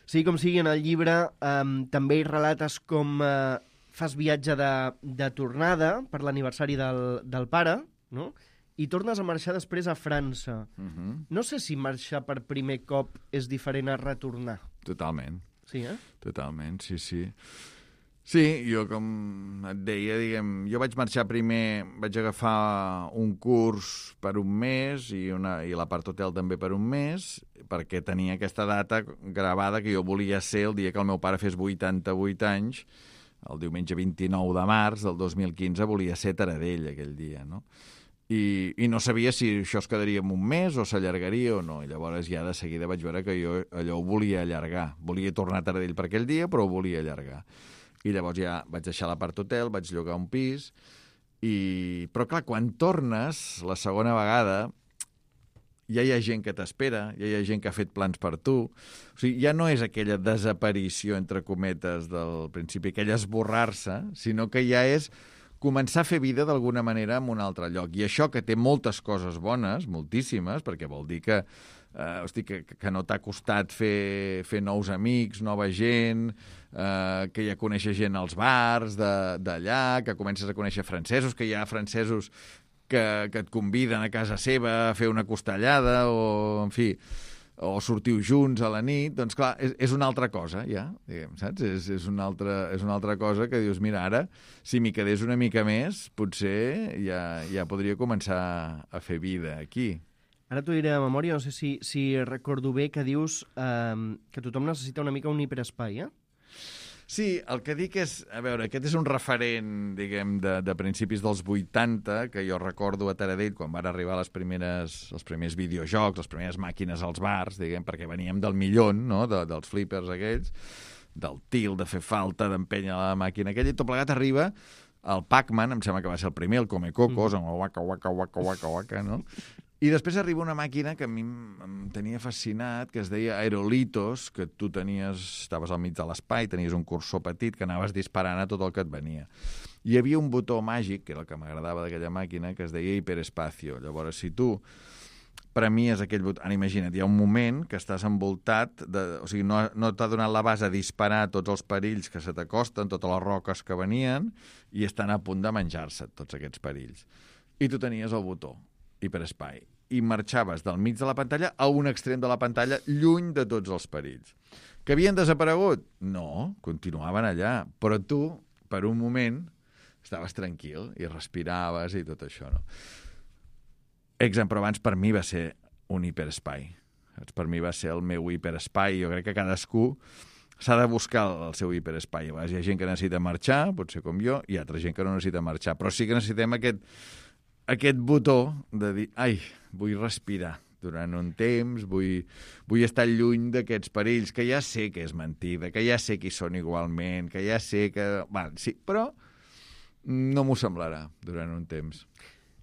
Sí, com sigui, en el llibre eh, també hi relates com eh, fas viatge de, de tornada per l'aniversari del, del pare, no? I tornes a marxar després a França. Uh-huh. No sé si marxar per primer cop és diferent a retornar. Totalment. Sí, eh? Totalment, sí, sí. Sí, jo com et deia, diguem, jo vaig marxar primer, vaig agafar un curs per un mes i, una, i la part hotel també per un mes, perquè tenia aquesta data gravada que jo volia ser el dia que el meu pare fes vuitanta-vuit anys, el diumenge vint-i-nou de març del dos mil quinze volia ser a Taradell aquell dia, no? I, i no sabia si això es quedaria en un mes o s'allargaria o no. I llavors ja de seguida vaig veure que jo allò ho volia allargar. Volia tornar a Taradell per aquell dia, però ho volia allargar. I llavors ja vaig deixar la part hotel, vaig llogar un pis, i... però clar, quan tornes la segona vegada ja hi ha gent que t'espera, ja hi ha gent que ha fet plans per tu, o sigui, ja no és aquella desaparició, entre cometes, del principi, aquell esborrar-se, sinó que ja és començar a fer vida d'alguna manera en un altre lloc. I això que té moltes coses bones, moltíssimes, perquè vol dir que Uh, hosti, que, que no t'ha costat fer, fer nous amics, nova gent, uh, que ja coneixes gent als bars d'allà, que comences a conèixer francesos, que hi ha francesos que, que et conviden a casa seva a fer una costellada o, en fi, o sortiu junts a la nit, doncs clar, és, és una altra cosa, ja, diguem, saps? És, és, una altra, és una altra cosa que dius, mira, ara, si m'hi quedés una mica més, potser ja, ja podria començar a fer vida aquí. Ara t'ho diré de memòria, no sé si, si recordo bé que dius eh, que tothom necessita una mica un hiperespai, eh? Sí, el que dic és, a veure, aquest és un referent, diguem, de, de principis dels vuitanta, que jo recordo a Taradell, quan van arribar les primeres, els primers videojocs, les primeres màquines als bars, diguem, perquè veníem del millón, no?, de, dels flippers aquells, del til, de fer falta, d'empènyer la màquina aquella, i tot plegat arriba el Pac-Man, em sembla que va ser el primer, el Comecocos, amb el waka, waka, waka, waka, waka, no?, i després arriba una màquina que a mi em tenia fascinat, que es deia Aerolitos, que tu tenies, estaves al mig de l'espai, tenies un cursor petit que anaves disparant a tot el que et venia. I hi havia un botó màgic, que era el que m'agradava d'aquella màquina, que es deia Hiperespacio. Llavors, si tu premies aquell botó... Ara, imagina't, hi ha un moment que estàs envoltat, de, o sigui, no, no t'ha donat la base a disparar tots els perills que se t'acosten, totes les roques que venien, i estan a punt de menjar-se tots aquests perills. I tu tenies el botó hiperespai, i marxaves del mig de la pantalla a un extrem de la pantalla, lluny de tots els perills. Que havien desaparegut? No, continuaven allà, però tu, per un moment, estaves tranquil i respiraves i tot això, no? Exam, però abans per mi va ser un hiperespai. Per mi va ser el meu hiperespai. Jo crec que cadascú s'ha de buscar el seu hiperespai. Hi ha gent que necessita marxar, potser com jo, i altra gent que no necessita marxar, però sí que necessitem aquest aquest botó de dir, ai, vull respirar durant un temps, vull, vull estar lluny d'aquests perills, que ja sé que és mentida, que ja sé que hi són igualment, que ja sé que... Va, sí, però no m'ho semblarà durant un temps.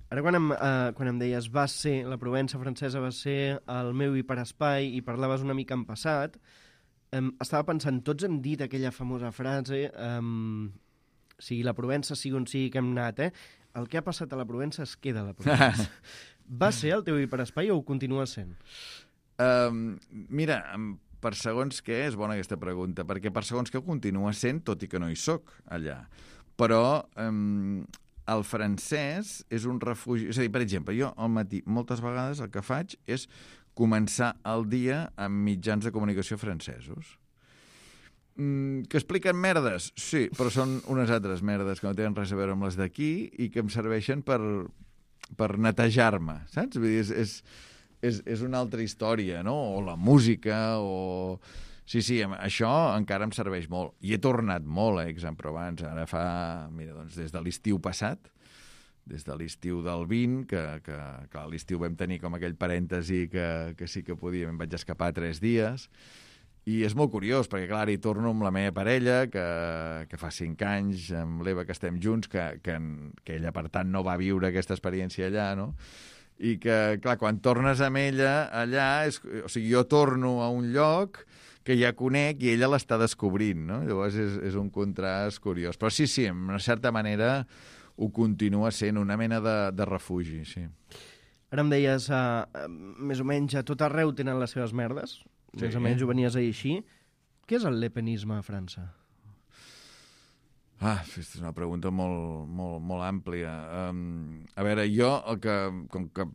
Ara quan em, eh, quan em deies va ser, la Provença francesa va ser el meu hiperespai i parlaves una mica en passat, eh, estava pensant, tots hem dit aquella famosa frase, eh, sigui la Provença, sigui on sigui que hem anat, eh? El que ha passat a la Provença es queda a la Provença. Va ser el teu hiperespai o ho continua sent? Um, mira, per segons què, és bona aquesta pregunta, perquè per segons què ho continua sent, tot i que no hi soc allà. Però um, el francès és un refugi... És a dir, per exemple, jo al matí moltes vegades el que faig és començar el dia amb mitjans de comunicació francesos. Mm, que expliquen merdes? Sí, però són unes altres merdes que no tenen res a veure amb les d'aquí i que em serveixen per, per netejar-me, saps? Vull dir, és, és, és, és una altra història, no? O la música, o... Sí, sí, això encara em serveix molt. I he tornat molt a Aix-en-Provence. Ara fa, mira, doncs des de l'estiu passat, des de l'estiu del vint, que, que, que a l'estiu vam tenir com aquell parèntesi que, que sí que podíem, em vaig escapar tres dies. I és molt curiós, perquè, clar, hi torno amb la meva parella, que, que fa cinc anys, amb l'Eva, que estem junts, que, que, que ella, per tant, no va viure aquesta experiència allà, no? I que, clar, quan tornes amb ella allà, és, o sigui, jo torno a un lloc que ja conec i ella l'està descobrint, no? Llavors és, és un contrast curiós. Però sí, sí, en una certa manera ho continua sent una mena de, de refugi, sí. Ara em deies, uh, més o menys a tot arreu tenen les seves merdes, més sí. o menys ho venies a dir així. Què és el lepenisme a França? Ah, és una pregunta molt, molt, molt àmplia. Um, a veure, jo el que... Com que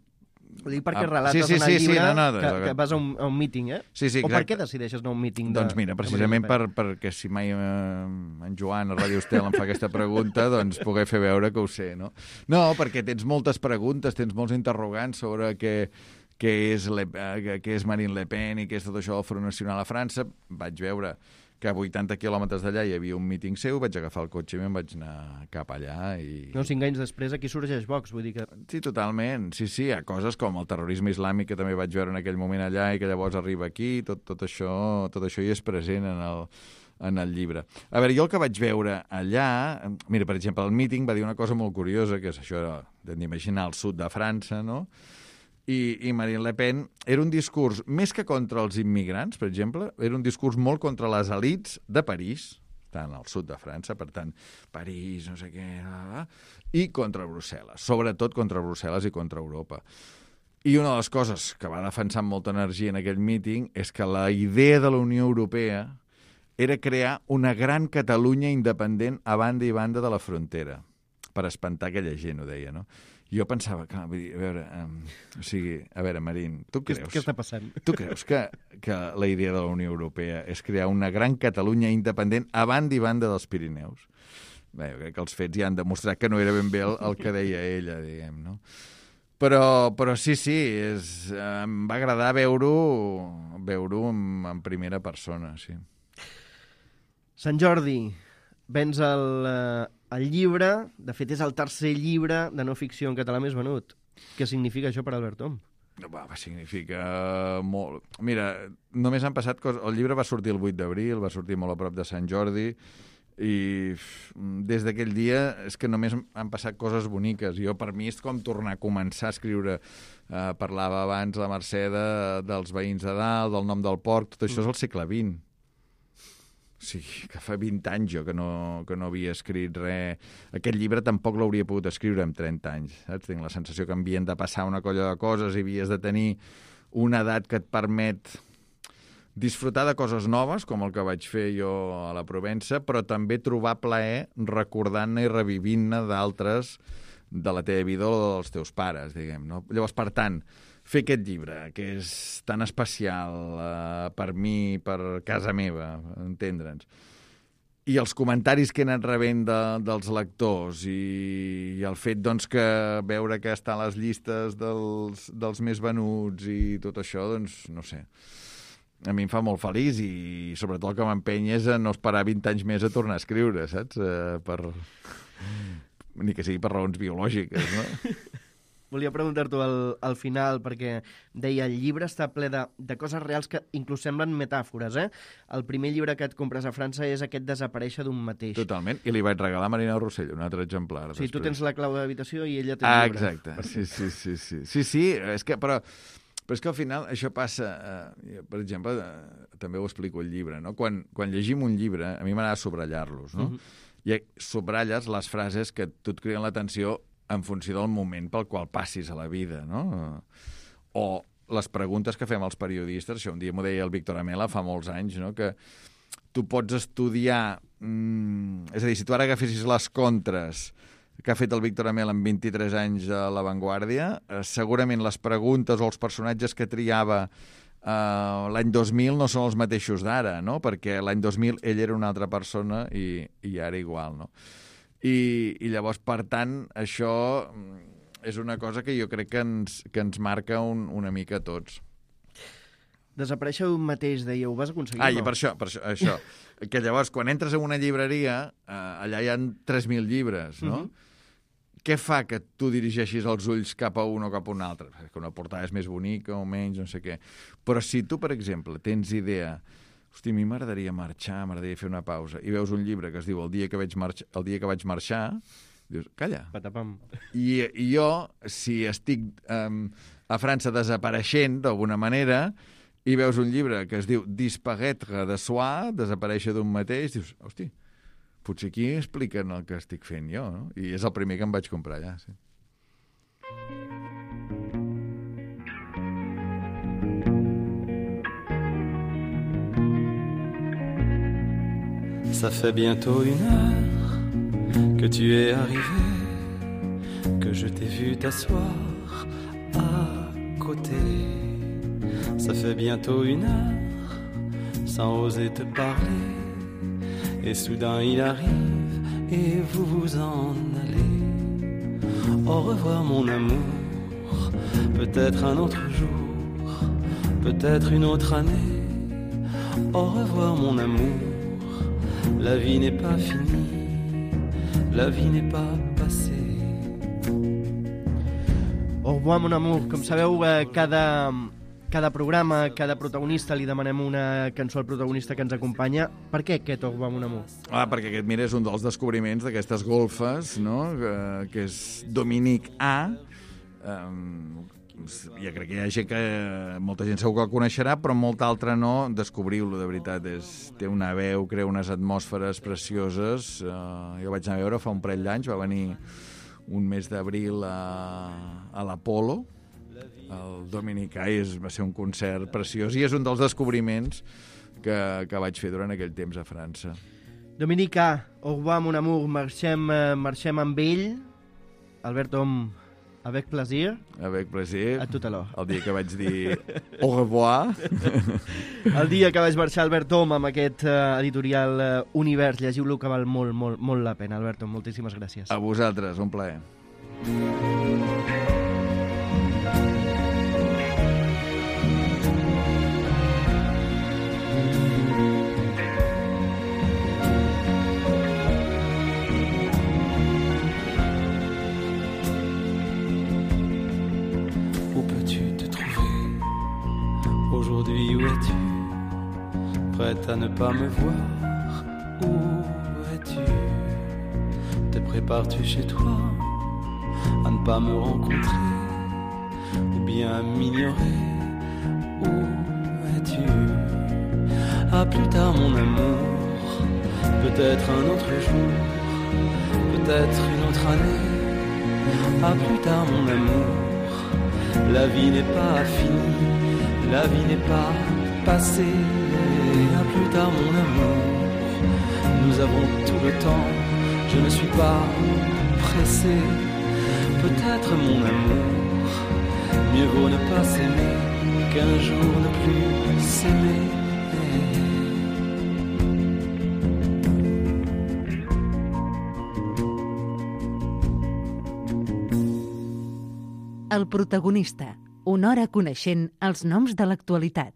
Ho dic perquè ah, relates sí, sí, en el sí, llibre sí, no, no, que, de... que vas a un, a un míting, eh? Sí, sí, o per què decideixes anar a un míting? De... Doncs mira, precisament per, perquè si mai eh, en Joan a Ràdio Estel em fa aquesta pregunta, doncs poder fer veure que ho sé, no? No, perquè tens moltes preguntes, tens molts interrogants sobre què, què, és, Le, eh, què és Marine Le Pen i què és tot això del Front Nacional a França. Vaig veure que a vuitanta quilòmetres d'allà hi havia un míting seu, vaig agafar el cotxe i me'n vaig anar cap allà. I... No, cinc anys després aquí sorgeix Vox, vull dir que... Sí, totalment. Sí, sí, hi ha coses com el terrorisme islàmic que també vaig veure en aquell moment allà i que llavors arriba aquí, tot, tot, això, tot això hi és present en el, en el llibre. A veure, jo el que vaig veure allà... Mira, per exemple, el míting va dir una cosa molt curiosa, que és això d'imaginar el sud de França, no?, I, i Marine Le Pen era un discurs, més que contra els immigrants, per exemple, era un discurs molt contra les elites de París, tant al sud de França, per tant, París, no sé què, i contra Brussel·les, sobretot contra Brussel·les i contra Europa. I una de les coses que va defensar amb molta energia en aquell míting és que la idea de la Unió Europea era crear una gran Catalunya independent a banda i banda de la frontera, per espantar aquella gent, ho deia, no? Jo pensava, clar, vull dir, a veure, um, o sigui, a veure, Marín, tu creus... Què està passant? Tu creus que, que la idea de la Unió Europea és crear una gran Catalunya independent a banda i banda dels Pirineus? Bé, jo crec que els fets ja han demostrat que no era ben bé el, el que deia ella, diguem, no? Però, però sí, sí, és, em va agradar veure-ho veure-ho en, en primera persona, sí. Sant Jordi, vens el, el llibre, de fet és el tercer llibre de no ficció en català més venut. Què significa això per Albert Om? Va, va significa molt... Mira, només han passat coses... El llibre va sortir el vuit d'abril, va sortir molt a prop de Sant Jordi, i des d'aquell dia és que només han passat coses boniques. Jo, per mi, és com tornar a començar a escriure. Uh, parlava abans la Mercè de, dels veïns de dalt, del nom del porc, tot això és el segle vint. Sí, que fa vint anys jo que no, que no havia escrit res. Aquest llibre tampoc l'hauria pogut escriure amb trenta anys, saps? Tinc la sensació que havien de passar una colla de coses i havies de tenir una edat que et permet disfrutar de coses noves, com el que vaig fer jo a la Provença, però també trobar plaer recordant-ne i revivint-ne d'altres de la teva vida o dels teus pares, diguem, no? Llavors, per tant, fer aquest llibre, que és tan especial uh, per mi, per casa meva, entendre'ns, i els comentaris que he anat rebent de, dels lectors i, i el fet doncs, que veure que està a les llistes dels, dels més venuts i tot això, doncs, no sé, a mi em fa molt feliç i sobretot el que m'empeny és a no esperar vint anys més a tornar a escriure, saps? Uh, per... Ni que sigui per raons biològiques, no? Volia preguntar-t'ho al, al final, perquè deia, el llibre està ple de, de coses reals que inclús semblen metàfores, eh? El primer llibre que et compres a França és aquest Desaparèixer d'un mateix. Totalment, i li vaig regalar a Marina Rossell, un altre exemplar. Sí, després. Tu tens la clau d'habitació i ella té el ah, llibre. Exacte, sí, sí, sí, sí. Sí, sí, és que, però, però és que al final això passa, eh, per exemple, eh, també ho explico al llibre, no? Quan, quan llegim un llibre, a mi m'agrada subratllar-los, no? Uh-huh. I subratlles les frases que tu et criden l'atenció en funció del moment pel qual passis a la vida, no? O les preguntes que fem als periodistes, això un dia m'ho deia el Víctor Amela fa molts anys, no? Que tu pots estudiar... Mmm, és a dir, si tu ara agafessis les contres que ha fet el Víctor Amela en vint-i-tres anys a La Vanguardia, eh, segurament les preguntes o els personatges que triava uh, l'any dos mil no són els mateixos d'ara, no? Perquè l'any dos mil ell era una altra persona i, i ara igual, no? I, i llavors, per tant, això és una cosa que jo crec que ens, que ens marca un, una mica a tots. Desaparèixer un mateix, deia, ho vas aconseguir, ah, no? I per això, per això, això que llavors, quan entres en una llibreria, eh, allà hi ha tres mil llibres, no? Uh-huh. Què fa que tu dirigeixis els ulls cap a un o cap a un altre? Que una portada és més bonica o menys, no sé què. Però si tu, per exemple, tens idea, hosti, a mi m'agradaria marxar, m'agradaria fer una pausa, i veus un llibre que es diu El dia que vaig, marx... El dia que vaig marxar, dius, calla. Patapam. I, i jo, si estic um, a França desapareixent d'alguna manera, i veus un llibre que es diu Disparaître de soi, desaparèixer d'un mateix, dius, hosti, potser aquí expliquen el que estic fent jo, no? I és el primer que em vaig comprar allà, sí. Ça fait bientôt une heure que tu es arrivé, que je t'ai vu t'asseoir à côté. Ça fait bientôt une heure, sans oser te parler, et soudain il arrive, et vous vous en allez. Au revoir mon amour, peut-être un autre jour, peut-être une autre année. Au revoir mon amour, la vie n'est pas finie, la vie n'est pas passée. Au revoir mon amour, com sabeu, cada... Cada programa, cada protagonista, li demanem una cançó al protagonista que ens acompanya. Per què aquest Au revoir mon amour? Ah, perquè aquest, mira, és un dels descobriments d'aquestes golfes, no?, que, que és Dominique A. Um, ja crec que hi ha gent que... Molta gent segur que el coneixerà, però molta altra no. Descobriu-lo, de veritat. És, té una veu, crea unes atmosferes precioses. Uh, jo vaig anar a veure fa un parell d'anys, va venir un mes d'abril a, a l'Apolo. El Dominique A va ser un concert preciós i és un dels descobriments que, que vaig fer durant aquell temps a França. Dominique A, au revoir mon amour, marxem, marxem amb ell. Albert Om, avec plaisir. Avec plaisir. A tot a l'hora. El dia que vaig dir au revoir. El dia que vaig marxar Albert Om amb aquest uh, editorial uh, Univers, llegiu-lo que val molt, molt, molt la pena. Albert Om, moltíssimes gràcies. A vosaltres, un plaer. Aujourd'hui, où es-tu? Prête à ne pas me voir? Où es-tu? Te prépares-tu chez toi à ne pas me rencontrer? Ou bien m'ignorer? Où es-tu? À plus tard mon amour, peut-être un autre jour, peut-être une autre année. À plus tard mon amour, la vie n'est pas finie, la vie n'est pas passée. À plus tard mon amour, nous avons tout le temps, je ne suis pas pressé. Peut-être mon amour, mieux vaut ne pas s'aimer qu'un jour ne plus s'aimer. El protagonista, una hora coneixent els noms de l'actualitat.